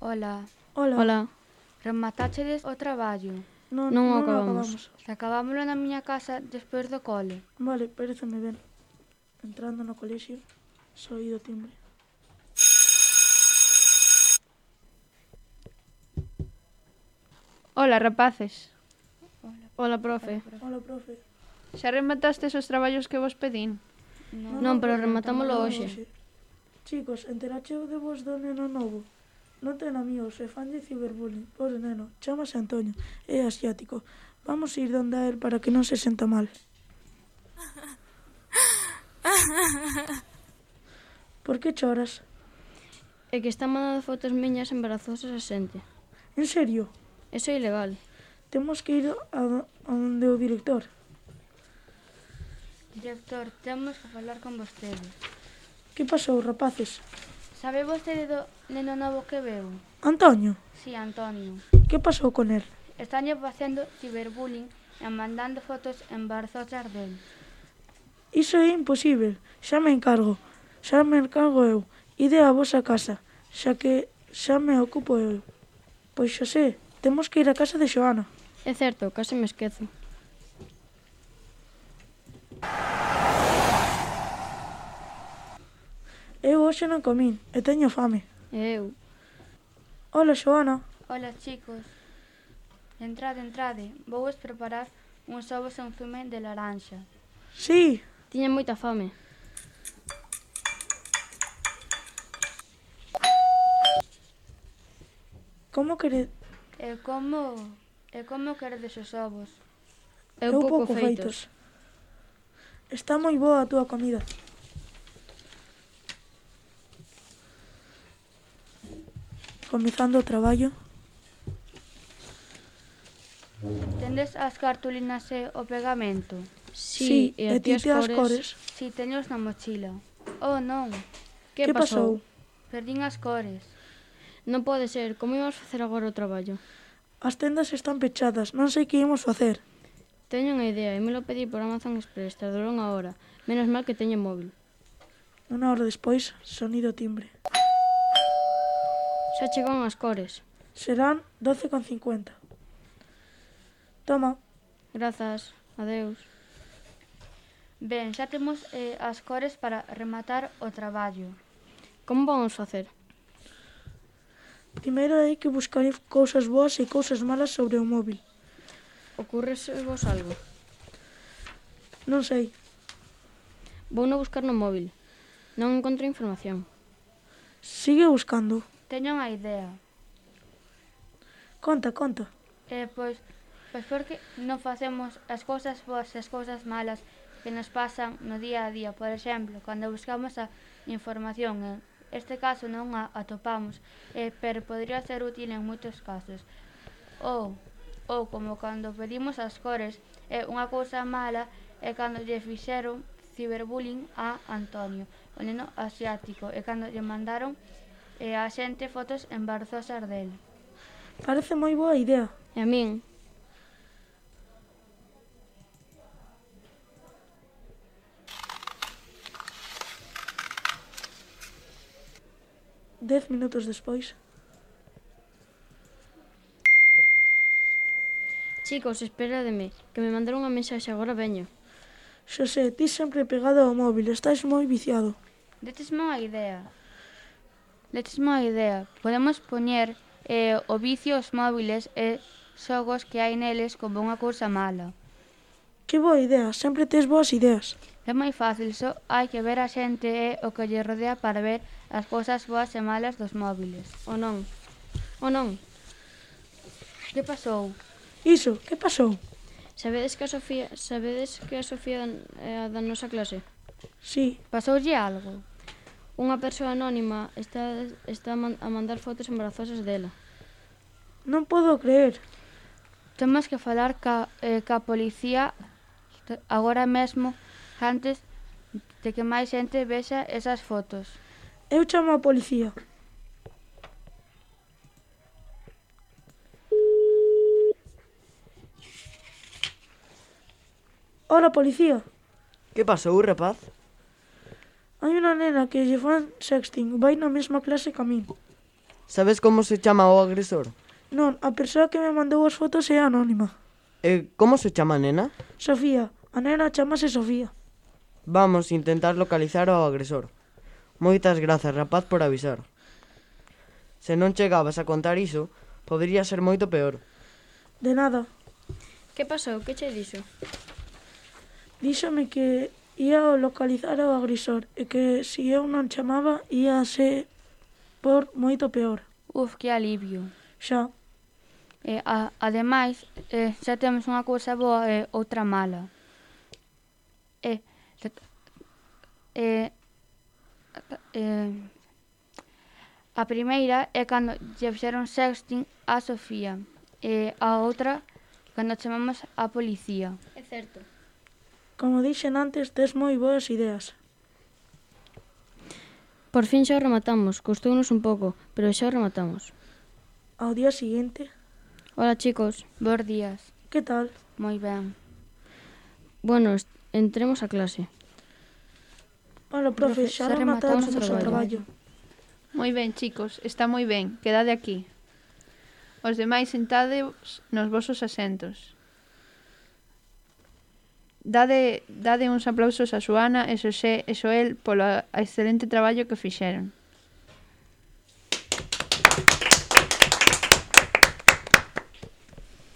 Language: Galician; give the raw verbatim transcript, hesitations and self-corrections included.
Ola, Hola. Hola. rematáchedes o traballo? Non, Non non o acabamos. acabamos. Acabámoslo na miña casa despois do cole. Vale, pareceme ben. Entrando no colexio, soí do timbre. Ola, rapaces. Hola, profe. Hola, profe. Xa rematastes os traballos que vos pedín? Non, pero rematámoslo hoxe. Chicos, enterache de vos do neno novo? Non ten amigos e fanlle ciberbullying. Pobre neno, chámase Antonio, é asiático. Vamos ir donde a él para que non se senta mal. Por que choras? É que está mandando fotos miñas embarazosas a xente. En serio? Eso é ilegal. Temos que ir a, do- a onde o director. Director, temos que falar con vostede. Que pasou, rapaces? Sabe vostede do neno novo que veu? Antonio, Si, Antonio. que pasou con él? Estañe facendo ciberbullying e mandando fotos embarazosas del. Iso é imposible. Xa me encargo. Xa me encargo eu. Ide á vosa casa, xa que xa me ocupo eu. Pois xa sé, temos que ir á casa de Xoana. É certo, case me esquezo. Eu hoxe non comín e teño fame. E eu. Ola, Xoana. Ola, chicos. Entrade, entrade. Vou vos preparar uns ovos en zume de laranxa. Sí, Tiña moita fame. como quere... E como... E como queredes os ovos? Eu, pouco feitos. Está moi boa a túa comida. Comezando o traballo. Tendes as cartulinas e o pegamento? Sí, e a ti as cores. Si, teños na mochila. Oh, non. Que, Que pasou? Perdín as cores. Non pode ser, como íamos facer agora o traballo? As tendas están pechadas, non sei que imos facer. Teño unha idea, e me lo pedí por Amazon Express, tardou unha hora. Menos mal que teño móvil. Unha hora despois, sonido timbre. Xa chegaron as cores. Serán doce con cincuenta. Toma. Grazas. Adeus. Ben, xa temos eh, as cores para rematar o traballo. Como vamos facer? Primeiro hai que buscar cousas boas e cousas malas sobre o móvil. Ocurrese vos algo? Non sei. Vou no buscar no móvil. Non encontro información. Sigue buscando. Teño unha idea. Conta, conta. Eh, pois, pois porque non facemos as cousas boas e as cousas malas que nos pasan no día a día. Por exemplo, cando buscamos a información, en este caso non a atopamos, eh, pero podría ser útil en moitos casos. Ou, ou como cando pedimos as cores, é eh, unha cousa mala é cando lle fixeron ciberbullying a Antonio, o neno asiático, e cando lle mandaron eh, a xente fotos embarazosas del. Parece moi boa idea. E a min? Dez minutos despois. Chicos, esperademe, que me mandaron unha mensaxe, agora veño. Xosé, ti sempre pegado ao móvil, estás moi viciado. Detesme unha idea. Detesme unha idea. Podemos poñer eh, o vicio aos móviles e xogos que hai neles como unha cousa mala. Que boa idea, sempre tes boas ideas. É moi fácil, só hai que ver a xente e o que lle rodea para ver as cousas boas e malas dos móviles. O non? O non? Que pasou? Iso, que pasou? Sabedes que a Sofía, sabedes que a Sofía é a da nosa clase? Sí, Pasoulle algo? Unha persoa anónima está, está a, man, a mandar fotos embarazosas dela. non podo creer. Temos que falar ca, eh, ca policía agora mesmo antes de que máis xente vexa esas fotos. Eu chamo a policía. Hola, policía. Que pasou, rapaz? Hai unha nena que lle fan sexting, vai na mesma clase que a min. Sabes como se chama o agresor? Non, a persoa que me mandou as fotos é anónima. E como se chama a nena? Sofía, a nena chamase Sofía. Vamos intentar localizar ao agresor. Moitas grazas, rapaz, por avisar. Se non chegabas a contar iso, podería ser moito peor. De nada. Que pasou? Que che dixo? Díxome que ia a localizar ao agresor e que se eu non chamaba ia ser por moito peor. Uf, que alivio. Xa, E, a, ademais, eh, xa temos unha cousa boa e outra mala. E, e, e, a primeira é cando lle fixeron sexting a Sofía e a outra cando chamamos a policía. É certo. como dixen antes, tes moi boas ideas. Por fin xa o rematamos. Costounos un pouco, pero xa o rematamos. Ao día seguinte, Hola, chicos. Bos días. que tal? Moi ben. Bueno, est- entremos a clase. Hola, profe, Profe, xa xa rematamos rematamos o o traballo. Moi ben, chicos, está moi ben. Quedade aquí. Os demais sentadeos nos vosos asentos. Dade, dade uns aplausos a Xoana e Xosé e Xoel polo excelente traballo que fixeron.